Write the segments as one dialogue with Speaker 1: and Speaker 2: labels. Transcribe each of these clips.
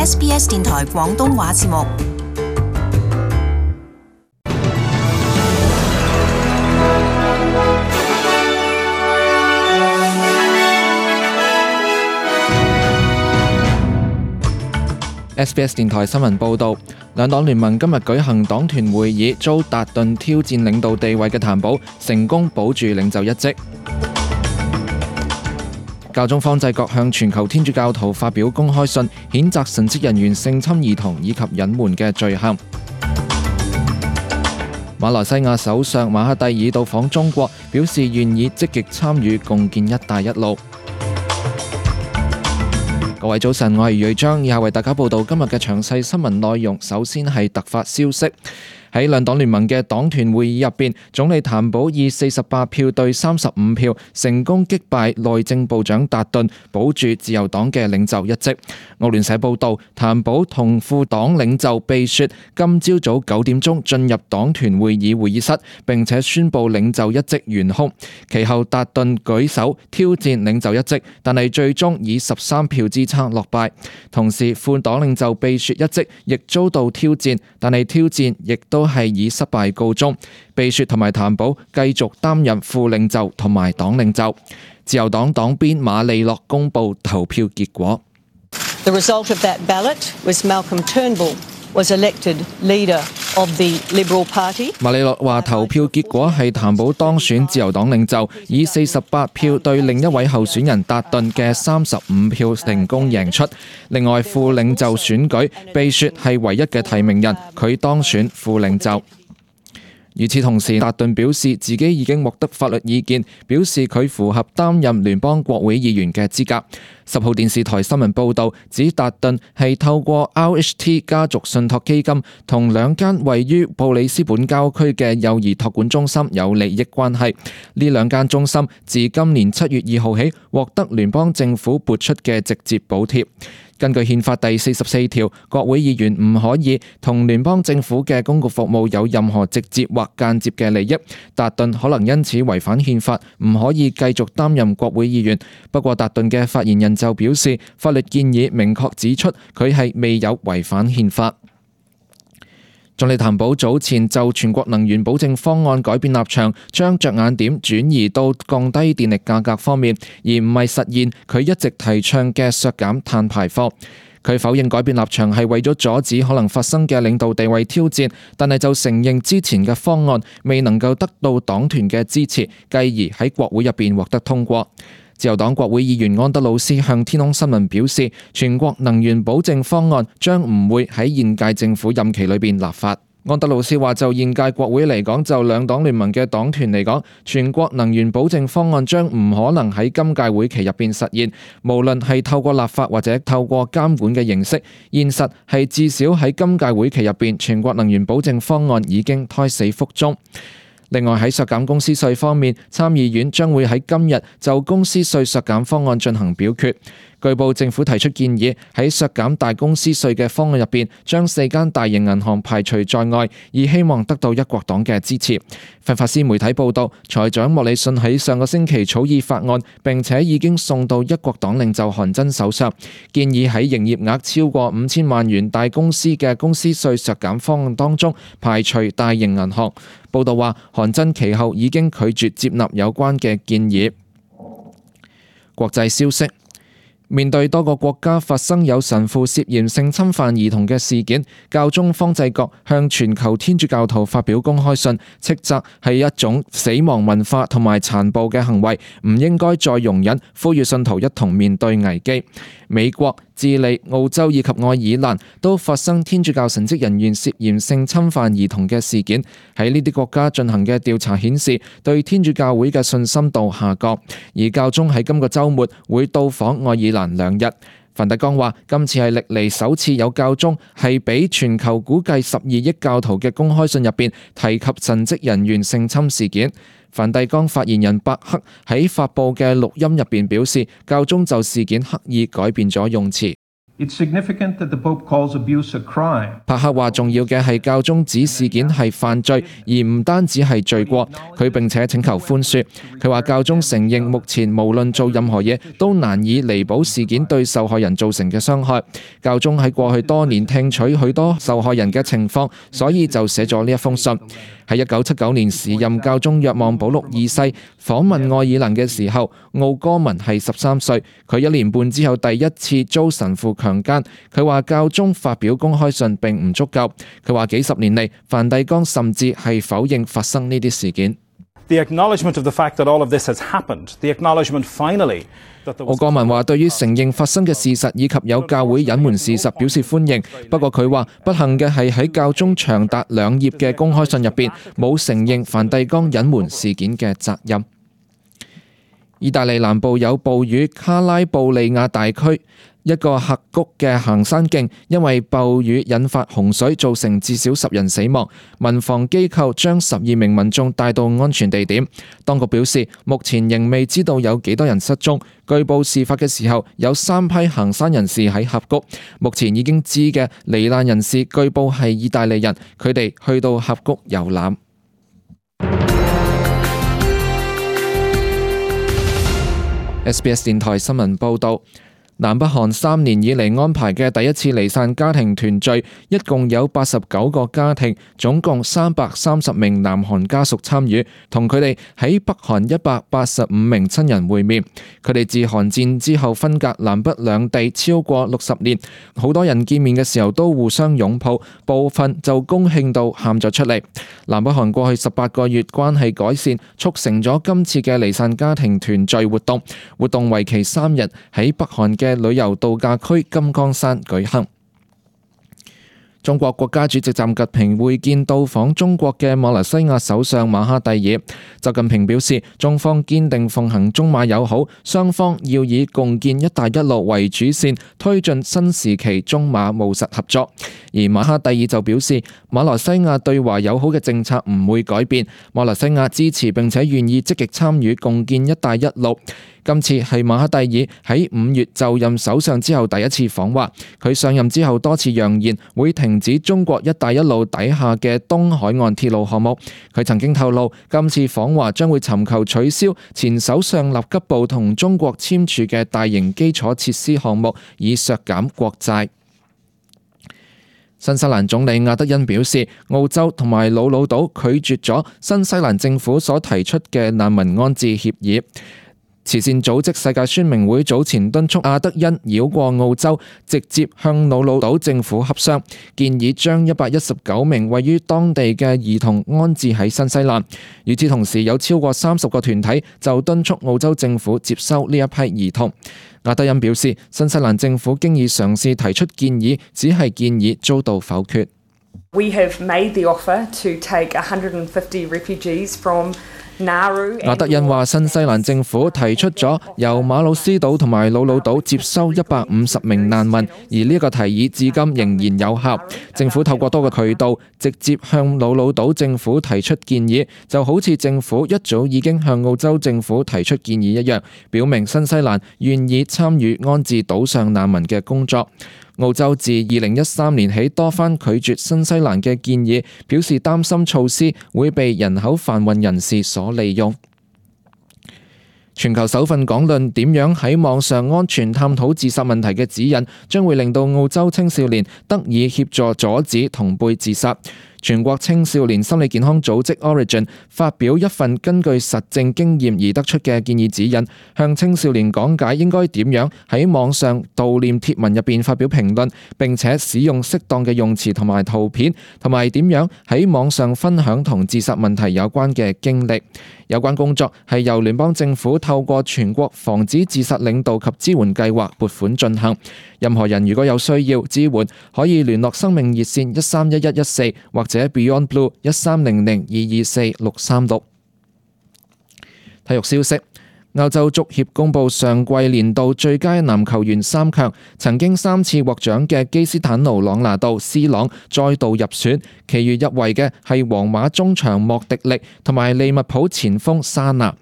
Speaker 1: SBS 電台廣東話節目。
Speaker 2: SBS 電台新聞報導，兩黨聯盟今日舉行黨團會議，遭達頓挑戰領導地位嘅譚寶成功保住領袖一職。教宗方濟各向全球天主教徒發表公開信，譴責神職人員性侵兒童以及隱瞞嘅罪行。馬來西亞首相馬哈蒂爾到訪中國，表示願意積極參與共建一帶一路。各位早晨，我係瑞章，以下為大家報道今日嘅詳細新聞內容。首先係突發消息。喺兩黨聯盟嘅黨團會議入邊，總理譚寶以48票對35票成功擊敗內政部長達頓，保住自由黨嘅領袖一職。澳聯社報道，譚寶同副黨領袖貝雪今朝早9點鐘進入黨團會議會議室，並且宣布領袖一職懸空。其後達頓舉手挑戰領袖一職，但係最終以13票之差落敗。同時，副黨領袖貝雪一職亦遭到挑戰，但係挑戰亦都係以失敗告終。貝雪同埋譚寶繼續擔任副領袖同埋黨領袖。自由黨黨鞭馬利諾公布投票結果。
Speaker 3: The result of that ballot was Malcolm Turnbull was elected leader of the Liberal Party。
Speaker 2: 馬利諾話投票結果係譚寶當選自由黨領袖，以48票對另一位候選人達頓嘅35票成功贏出。另外副領袖選舉，貝雪係唯一嘅提名人，佢當選副領袖。與此同時，達頓表示自己已經獲得法律意見，表示佢符合擔任聯邦國會議員嘅資格。10號電視台新聞報導指，達頓係透過 RHT 家族信託基金同2間位於布里斯本郊區嘅幼兒託管中心有利益關係。呢2間中心自今年7月2號起獲得聯邦政府撥出嘅直接補貼。根據憲法第44條，國會議員唔可以同聯邦政府嘅公共服務有任何直接或間接嘅利益。達頓可能因此違反憲法，唔可以繼續擔任國會議員。不過達頓嘅發言人就表示，法律建議明確指出佢係未有違反憲法。總理譚寶早前就全國能源保證方案改變立場，將着眼點轉移到降低電力價格方面，而唔係實現佢一直提倡嘅削減碳排放。佢否認改變立場係為咗阻止可能發生嘅領導地位挑戰，但係就承認之前嘅方案未能夠得到黨團嘅支持，繼而喺國會入邊獲得通過。自由黨國會議員安德魯斯向天空新聞表示，全國能源保證方案將唔會喺現屆政府任期裏邊立法。安德魯斯話，就現屆國會嚟講，就兩黨聯盟嘅黨團嚟講，全國能源保證方案將唔可能喺今屆會期入邊實現，無論係透過立法或者透過監管嘅形式。現實係至少喺今屆會期入邊，全國能源保證方案已經胎死腹中。另外喺削減公司稅方面，參議院將會喺今日就公司稅削減方案進行表決。據報政府提出建議，喺削減大公司稅嘅方案入邊，將4間大型銀行排除在外，以希望得到一國黨嘅支持。法法斯媒體報道，財長莫里遜喺上個星期草擬法案，並且已經送到一國黨領袖韓真手上，建議喺營業額超過5000萬元大公司嘅公司稅削減方案當中排除大型銀行。報道話，韓真其後已經拒絕接納有關嘅建議。國際消息。面對多個國家發生有神父涉嫌性侵犯兒童嘅事件，教宗方濟各向全球天主教徒發表公開信，斥責係一種死亡文化同埋殘暴嘅行為，唔應該再容忍，呼籲信徒一同面對危機。美國、智利、澳洲以及愛爾蘭都發生天主教神職人員涉嫌性侵犯兒童嘅事件。喺呢啲國家進行嘅調查顯示，對天主教會嘅信心度下降。而教宗喺今個週末會到訪愛爾蘭2日。梵蒂岡話，今次係歷嚟首次有教宗係俾全球估計12億教徒嘅公開信入邊提及神職人員性侵事件。梵蒂岡發言人伯克喺發佈嘅錄音入邊表示，教宗就事件刻意改變咗用詞。
Speaker 4: It's significant that the Pope calls abuse a crime.
Speaker 2: 帕克話重要嘅係教宗指事件係犯罪，而唔單止係罪過。佢並且請求寬恕。佢話教宗承認目前無論做任何嘢都難以彌補事件對受害人造成嘅傷害。教宗喺過去多年聽取許多受害人嘅情況，所以就寫咗呢一封信。喺1979年時任教宗若望保祿二世訪問愛爾蘭嘅時候，奧哥文係13歲，佢1年半之後第一次遭神父強姦。佢話教宗發表公開信並唔足夠。佢話幾十年嚟，梵蒂岡甚至係否認發生呢啲事件。
Speaker 5: The acknowledgement of the fact that all of this has happened, the acknowledgement finally that there was...
Speaker 2: 奧哥文話對於承認發生嘅事實以及有教會隱瞞事實表示歡迎，不過佢話不幸嘅係喺教宗長達2頁嘅公開信入邊冇承認梵蒂岡隱瞞事件嘅責任。意大利南部有暴雨，卡拉布利亞大區一個峽谷嘅行山徑因為暴雨引發洪水，造成至少10人死亡。民防機構將12名民眾帶到安全地點。當局表示，目前仍未知道有幾多人失蹤。據報事發嘅時候有3批行山人士喺峽谷。目前已經知嘅罹難人士據報係意大利人，佢哋去到峽谷遊覽。SBS 電台新聞報導。南北韓3年以嚟安排嘅第一次離散家庭團聚，一共有89個家庭，總共330名南韓家屬參與，同佢哋喺北韓185名親人會面。佢哋自韓戰之後分隔南北兩地超過60年，好多人見面嘅時候都互相擁抱，部分就高興到喊咗出嚟。南北韓過去18個月關係改善，促成咗今次嘅離散家庭團聚活動。活動為期3日，喺北韓嘅旅遊度假區金剛山舉行。中國國家主席習近平會見到訪中國嘅馬來西亞首相馬哈蒂爾。習近平表示，中方堅定奉行中馬友好，雙方要以共建一帶一路為主線，推進新時期中馬務實合作。而馬哈蒂爾就表示，馬來西亞對華友好嘅政策唔會改變，馬來西亞支持並且願意積極參與共建一帶一路。今次係馬哈蒂爾喺5月就任首相之後第一次訪華，佢上任之後多次揚言會停止中國一帶一路底下嘅東海岸鐵路項目。佢曾經透露，今次訪華將會尋求取消前首相納吉布同中國簽署嘅大型基礎設施項目，以削減國債。新西蘭總理亞德恩表示，澳洲同埋魯魯島拒絕咗新西蘭政府所提出嘅難民安置協議。慈善組織世界宣明會早前敦促亞德恩繞過澳洲，直接向魯魯島政府洽商，建議將119名位於當地嘅兒童安置喺新西蘭。與此同時，有超過30個團體就敦促澳洲政府接收呢一批兒童。亞德恩表示，新西蘭政府經已嘗試提出建議，只係建議遭到否決。
Speaker 6: We have made the offer to take 150 refugees from
Speaker 2: 亞德恩話，新西蘭政府提出咗由馬魯斯島同埋魯魯島接收150名難民，而呢個提議至今仍然有效。政府透過多個渠道直接向魯魯島政府提出建議，就好似政府一早已經向澳洲政府提出建議一樣，表明新西蘭願意參與安置島上難民嘅工作。澳洲自2013年起多番拒絕新西蘭嘅建議，表示擔心措施會被人口販運人士所利用。全球首份講論點樣喺網上安全探討自殺問題嘅指引，將會令到澳洲青少年得以協助阻止同輩自殺。全國青少年心理健康組織 Origin 發表一份根據實證經驗而得出嘅建議指引，向青少年講解應該點樣喺網上悼念貼文入邊發表評論，並且使用適當嘅用詞同埋圖片，同埋點樣喺網上分享同自殺問題有關嘅經歷。有關工作係由聯邦政府透過全國防止自殺領導及支援計劃撥款進行。任何人如果有需要支援，可以聯絡生命熱線131114或者 Beyond Blue 1300224636。體育消息。歐洲足協公佈上季年度最佳男球員3強，曾經3次獲獎嘅基斯坦奴·朗拿度 C 朗再度入選，其餘入圍嘅係皇馬中場莫迪力同埋利物浦前鋒沙拿。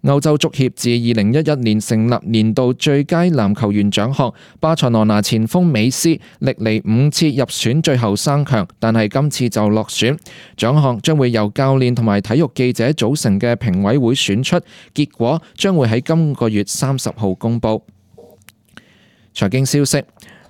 Speaker 2: 歐洲足協自2011年成立年度最佳籃球員獎項，巴塞羅那前鋒美斯歷嚟5次入選最後3強，但係今次就落選。獎項將會由教練同埋體育記者組成嘅評委會選出，結果將會喺今個月30號公佈。財經消息。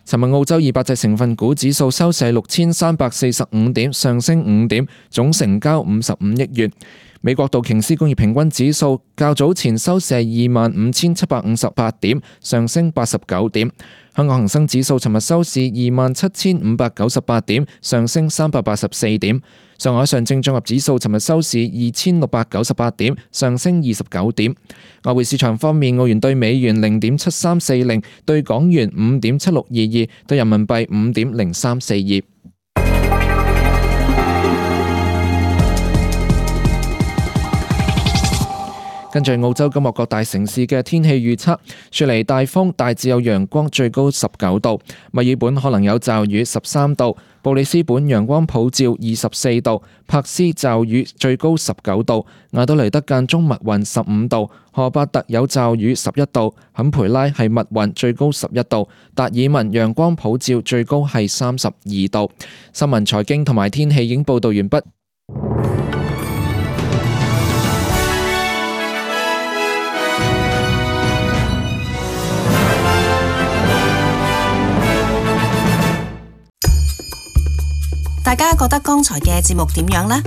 Speaker 2: 尋日澳洲200隻成分股指數收市6345點，上升5點，總成交55億元。美國道瓊斯工業平均指數較早前收市25758點，上升89點。香港恒生指數尋日收市27598點，上升384點。上海上證綜合指數尋日收市2698點，上升29點。外匯市場方面，澳元對美元0.7340，對港元5.7622，對人民幣5.0342。跟住澳洲今日各大城市嘅天氣預測：雪梨大風，大致有陽光，最高19度；墨爾本可能有驟雨，13度；布里斯本陽光普照，24度；珀斯驟雨，最高19度；亞德雷德間中密雲，15度；荷伯特有驟雨，11度；坎培拉係密雲，最高11度；達爾文陽光普照，最高係32度。新聞、財經同埋天氣已經報導完畢。
Speaker 1: 大家覺得剛才嘅節目點樣呢？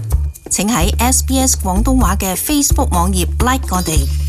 Speaker 1: 請喺SBS 廣東話嘅 Facebook 網頁 like 我哋。